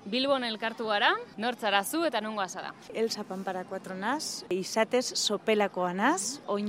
Bilbon elkartu gara, nortzara zu eta nongoa zara? Elsa Pampara 4 naz, izatez sopelakoa naz, oin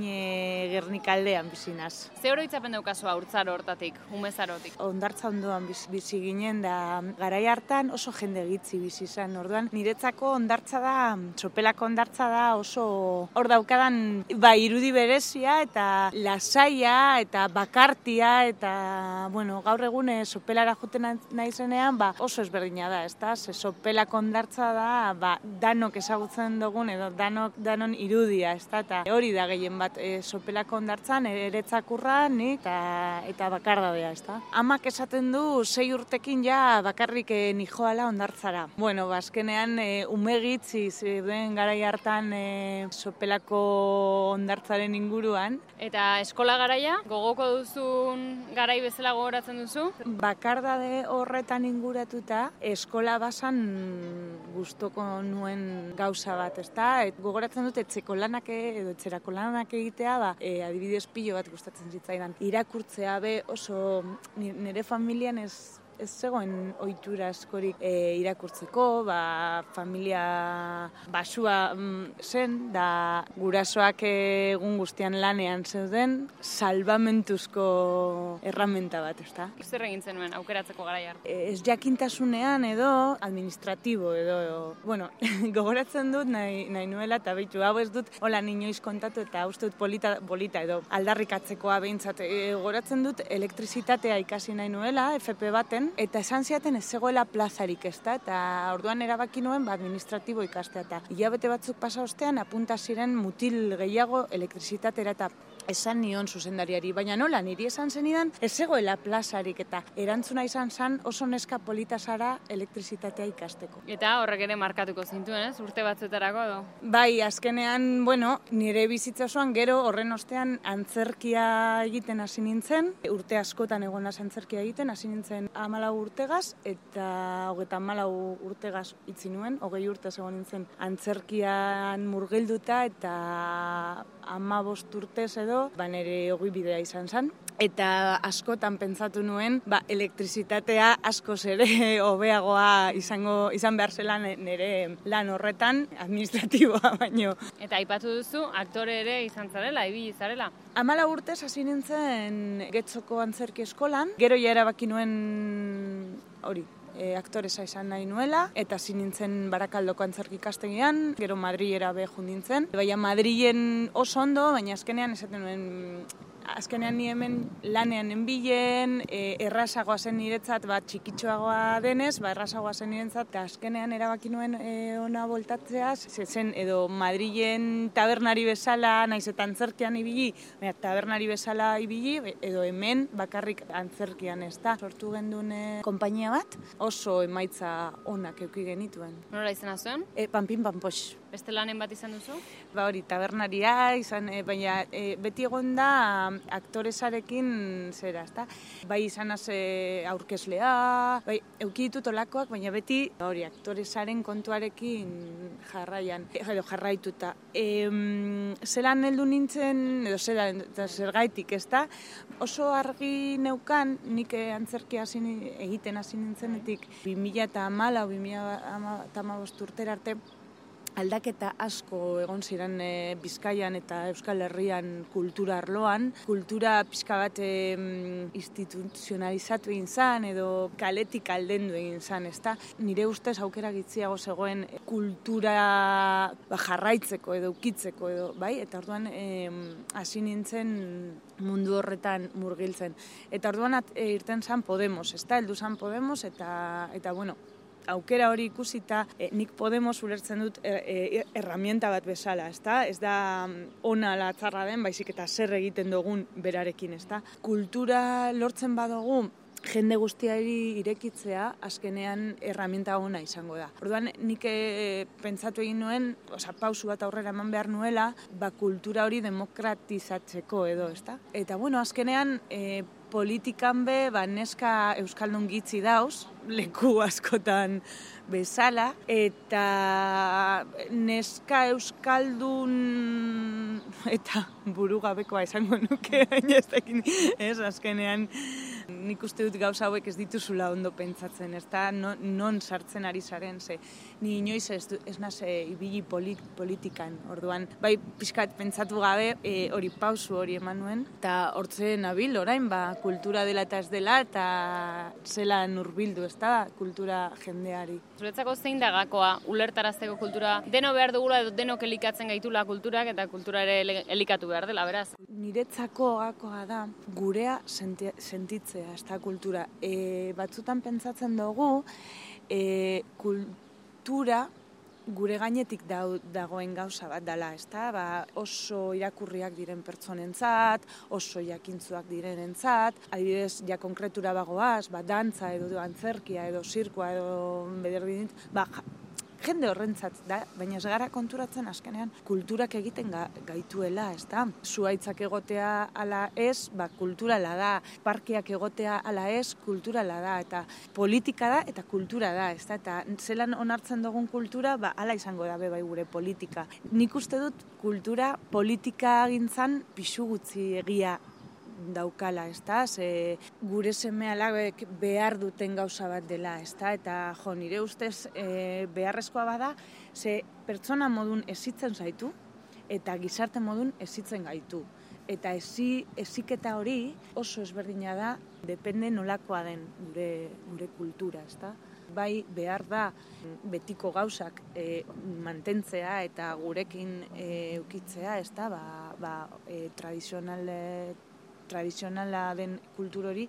Gernikaldean bizi naz. Ze oroitzapen daukazu haurtzaro hortatik, umezarotik? Hondartza ondoan bizi ginen da garai hartan oso jende gitzi bizi izan. Orduan niretzako hondartza da, sopelako hondartza da oso hor daukadan irudi berezia eta lasaia eta bakartia eta gaur egun sopelara joten naizenean oso ezberdina da, ezta? Ze sopelako hondartza da danok ezagutzen dugun edo danon irudia, ezta? Eta hori da gehien bat sopelako hondartzan eretzakurra nik eta bakardadea, ezta? Amak esaten du 6 urtekin ja bakarrik nijoala hondartzara. Azkenean umegitzi zeuden garai hartan sopelako hondartzaren inguruan. Eta eskola garaia, gogoko duzun garai bezala gogoratzen duzu? Bakardade horretan inguratuta, eskola basan gustoko nuen gauza bat, ezta? Gogoratzen dut etxeko lanak edo etxerako lanak egitea, adibidez pilo bat gustatzen zitzaidan. Irakurtzea oso nire familian ez zegoen ohitura askorik irakurtzeko, familia basua zen, da gurasoak egun guztian lanean zeuden, salbamentuzko erramenta bat, ezta? Zer egin zenuen aukeratzeko garaia? Ez jakintasunean edo administratibo edo, gogoratzen dut nahi nuela eta behitu, hau ez dut hola inoiz kontatu eta uste dut polita edo aldarrikatzekoa behintzat. Gogoratzen dut elektrizitatea ikasi nahi nuela, FP baten, eta esan ziaten ez zegoela plazarik, ezta? Eta orduan erabaki nuen administratibo ikastea. Eta hilabete batzuk pasa ostean apunta ziren mutil gehiago elektrizitatera eta esan nion zuzendariari, baina nola, niri esan zenidan ez zegoela plazarik eta erantzuna izan zen oso neska polita zara elektrizitatea ikasteko. Eta horrek ere markatuko zintuen, ez? Urte batzuetarako edo? Bai, azkenean, nire bizitza osoan gero horren ostean antzerkia egiten hasi nintzen, urte askotan egon naz antzerkia egiten, hasi nintzen 14 urtegaz eta 34 urtegaz itzi nuen, 20 urte egon nintzen antzerkian murgilduta eta 15 urtez edo, nire ogi bidea izan zen. Eta askotan pentsatu nuen, elektrizitatea askoz ere hobeagoa izan behar zela nire lan horretan, administratiboa baino. Eta aipatu duzu, aktore ere izan zarela, ibili zarela? 14 urtez hasi nintzen Getxoko antzerki eskolan, gero ja erabaki nuen hori, aktoresa izan nahi nuela, eta hasi nintzen Barakaldoko antzerki ikastegian, gero Madrilera behun nintzen. Baina Madrilen oso ondo, baina azkenean esaten nuen, azkenean ni hemen lanean enbilen, errazagoa zen niretzat, txikitxoagoa denez, errazagoa zen niretzat, eta azkenean erabaki nuen ona voltatzeaz, zen edo Madrilen tabernari bezala, naiz eta antzerkian ibili, tabernari bezala ibili, edo hemen bakarrik antzerkian, ez da. Sortu genduen konpainia bat, oso emaitza onak eduki genituen. Nola izena zuen? Panpin Panpox. Beste lanen bat izan duzu? Hori, tabernaria izan, baina beti egon da aktoresarekin zera, ezta? Bai izan aurkezlea, bai eduki ditut olakoak, baina beti hori aktoresaren kontuarekin jarraituta. Zelan heldu nintzen, edo zergaitik, ezta? Oso argi neukan, nik antzerkia egiten hasi nintzenetik 2014-2015 urtera arte, aldaketa asko egon ziren Bizkaian eta Euskal Herrian kultura arloan. Kultura pixka bat instituzionalizatu egin zan edo kaletik aldendu egin zan, ezta? Nire ustez aukera gitziago zegoen kultura jarraitzeko edo ukitzeko edo, bai? Eta orduan hasi nintzen mundu horretan murgiltzen. Eta orduan irten zan Podemos, ezta? Heldu zan Podemos eta aukera hori ikusita, nik Podemos ulertzen dut herramienta bat bezala, ezta? Ez da ona ala txarra den, baizik eta zer egiten dugun berarekin, ezta? Kultura lortzen badugu, jende guztiari irekitzea, azkenean herramienta ona izango da. Orduan, nik pentsatu egin nuen, pausu bat aurrera eman behar nuela, kultura hori demokratizatzeko edo, ezta? Eta, azkenean, politikan neska euskaldun gitzi dauz, leku askotan bezala, eta neska euskaldun eta burugabekoa esango nuke, ez azkenean nik uste dut gauza hauek ez dituzula ondo pentsatzen, ez da, non sartzen ari zaren, ze ni inoiz ez naz ibili politikan, orduan, bai pixkat pentsatu gabe hori pausu hori eman nuen, eta hortzen nabil orain, kultura dela eta ez dela, eta zelan hurbildu, ez da, kultura jendeari. Zuretzako zein da gakoa ulertarazteko kultura? Deno behar dugula edo denok elikatzen gaitula kulturak eta kultura ere elikatu behar dela, beraz? Niretzako gakoa da gurea sentitzea, ez da kultura. Batzutan pentsatzen dugu kultura gure gainetik dagoen gauza bat dela, ez da? Oso irakurriak diren pertsonentzat, oso jakintzuak direnentzat, adibidez, ja konkretura bagoaz, dantza edo antzerkia edo zirkoa edo bederdin, jende horrentzat da, baina ez gara konturatzen azkenean kulturak egiten gaituela, ez da? Zuhaitzak egotea ala ez, kulturala da, parkeak egotea ala ez, kulturala da, eta politika da eta kultura da, ez da? Eta zelan onartzen dugun kultura, ala izango da bai gure politika. Nik uste dut kultura politika gintzan pisu gutxi egia daukala, ez da? Gure seme-alabek behar duten gauza bat dela, ez da? Eta nire ustez beharrezkoa bada, pertsona modun ezitzen zaitu, eta gizarte modun ezitzen gaitu. Eta eziketa hori oso ezberdina da, depende nolakoa den gure kultura, ez da? Bai behar da betiko gauzak mantentzea eta gurekin eukitzea, ez da? Tradizionala den kultur hori,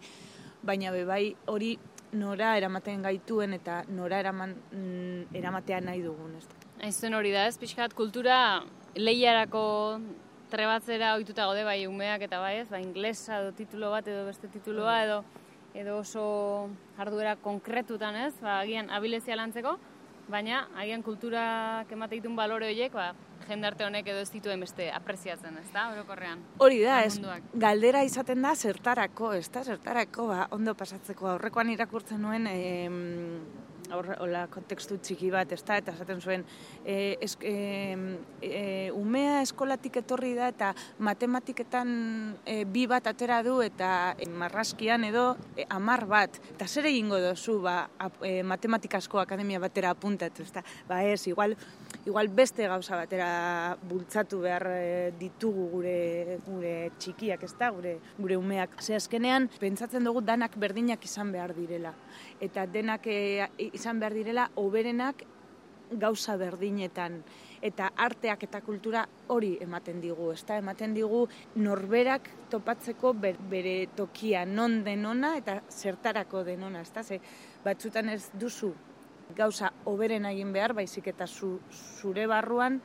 baina bai hori nora eramaten gaituen eta nora eramatea nahi dugun. Haizuen hori da ez, pixkat kultura lehiarako trebatzera ohituta gaude bai umeak eta bai ez, inglesa edo titulo bat edo beste tituloa edo oso jarduera konkretutan ez, agian abilezia lantzeko, baina agian kulturak emate ditun balore horiek, jendarte honek edo ez dituen beste apreziatzen, ez da, orokorrean? Hori da, ez, galdera izaten da zertarako, ez da, zertarako, ondo pasatzeko. Aurrekoan irakurtzen nuen, kontekstu txiki bat, ez da, eta esaten zuen, umea eskolatik etorri da, eta matematiketan 2 bat atera du, eta marrazkian edo 10 bat. Eta zer egingo dozu, matematikasko akademia batera apuntatu, ez da, ez, igual beste gauza batera bultzatu behar ditugu gure txikiak, ez da, gure umeak. Ze azkenean, pentsatzen dugu danak berdinak izan behar direla. Eta denak izan behar direla, hoberenak gauza berdinetan. Eta arteak eta kultura hori ematen digu, ez da, ematen digu norberak topatzeko bere tokia non denona eta zertarako denona, ez da, ze batzutan ez duzu gauza hoberen egin behar, baizik eta zure barruan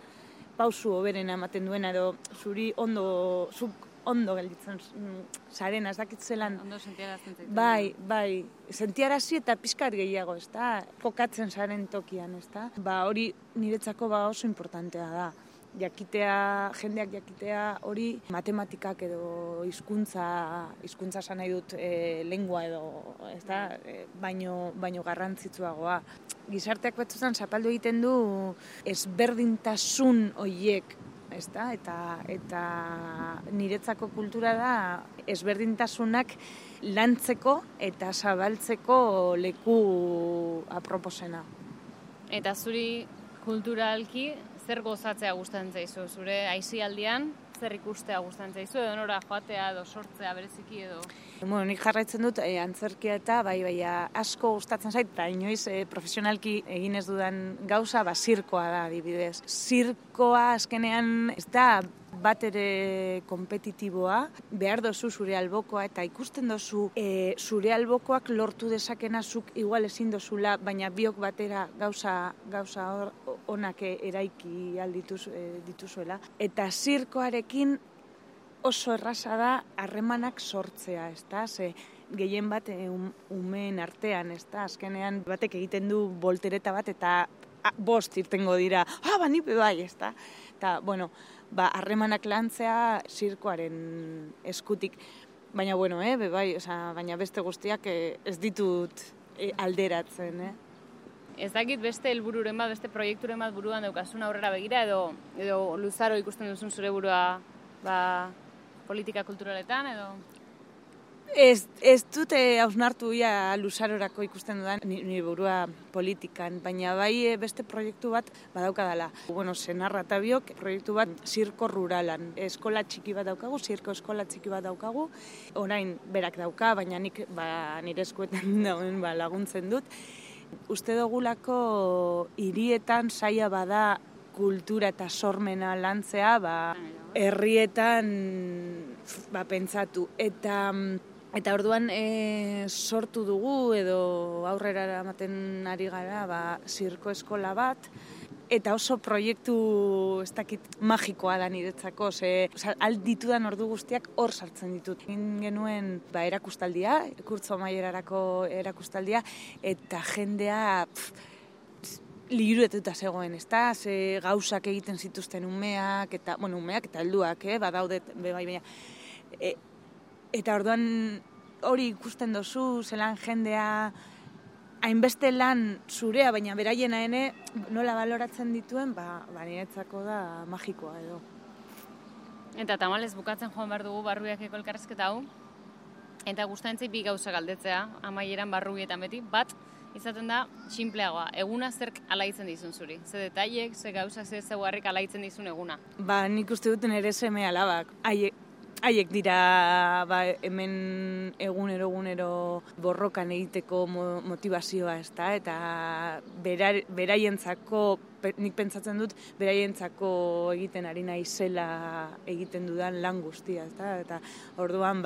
pausu hoberena ematen duena edo zuri ondo gelditzen zarena, ez dakit zelan. Ondo sentiarazten zaitu. Bai, sentiarazi eta pixkat gehiago, ez da, kokatzen zaren tokian, ez da. Hori niretzako oso importantea da. Jendeak jakitea hori matematikak edo hizkuntza esan nahi dut lengua edo, ez da, baino garrantzitsuagoa. Gizarteak batzutan zapaldu egiten du ezberdintasun horiek, ez da, eta niretzako kultura da ezberdintasunak lantzeko eta zabaltzeko leku aproposena. Eta zuri kulturalki zer gozatzea gustatzen zaizu? Zure aisialdian zer ikustea gustatzen zaizu? Edo nora joatea edo sortzea bereziki edo? Nik jarraitzen dut antzerkia eta bai asko gustatzen zait, eta inoiz profesionalki egin ez dudan gauza, zirkoa da adibidez. Zirkoa azkenean ez da bat ere kompetitiboa, behar dozu zure albokoa eta ikusten dozu zure albokoak lortu dezakena zuk igual ezin dozula, baina biok batera gauza onak eraiki dituzuela. Eta zirkoarekin oso erraza da harremanak sortzea, ez da? Gehien bat umeen artean, ez da? Azkenean batek egiten du voltereta bat eta 5 irtengo dira, nipe bai, ez da? Eta, harremanak lantzea zirkoaren eskutik. Baina, baina beste guztiak ez ditut alderatzen, Ez dakit beste helbururen bat, beste proiekturen bat buruan daukasun aurrera begira edo luzaro ikusten duzun zure burua politika kulturaletan edo? Ez dute hausnartu ia luzarorako ikusten dudan nire burua politikan, baina bai beste proiektu bat badaukadala. Bueno, senarra eta biok proiektu bat zirko ruralan. Eskola txiki bat daukagu, zirko eskola txiki bat daukagu. Orain berak dauka, baina nik nire eskuetan dauen laguntzen dut. Uste dugulako hirietan saia bada kultura eta sormena lantzea, herrietan pentsatu. Eta orduan sortu dugu edo aurrera eramaten ari gara zirko eskola bat, eta oso proiektu ez dakit magikoa da niretzako, ditudan ordu guztiak hor sartzen ditut. Egin genuen erakustaldia, kurtzo amaierarako erakustaldia, eta jendea liburuetuta zegoen, ezta? Ze gauzak egiten zituzten umeak eta helduak, badaude baina. Eta orduan hori ikusten dozu, zelan jendea hainbeste lan zurea, baina beraiena nola baloratzen dituen, niretzako da magikoa edo. Eta tamalez bukatzen joan behar dugu Barrubiakeko elkarrizketa hau, eta gustatzen bi gauza galdetzea, amaieran Barrubietan beti, bat izaten da sinpleagoa, eguna zerk alaitzen dizun zuri? Ze detailek, ze gauzak, ze zeugarrik alaitzen dizun eguna? Nik uste duten ere seme alabak. Haiek dira hemen egunero borrokan egiteko motivazioa, ezta? Eta beraientzako, nik pentsatzen dut, beraientzako egiten ari naizela egiten dudan lan guztia, ezta? Eta orduan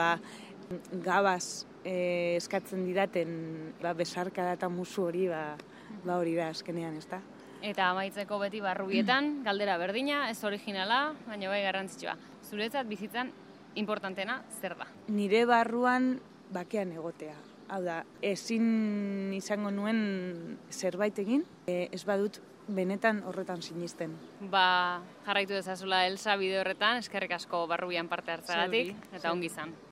gabaz eskatzen didaten besarkada eta musu hori hori da azkenean, ezta? Eta amaitzeko beti Barrubietan, galdera berdina, ez originala, baina bai garrantzitsua. Zuretzat bizitzan importantena zer da? Nire barruan bakean egotea. Hau da, ezin izango nuen zerbait egin, ez badut benetan horretan sinisten. Jarraitu dezazula Elsa bide horretan, eskerrik asko Barrubian parte hartzagatik, eta ongi izan.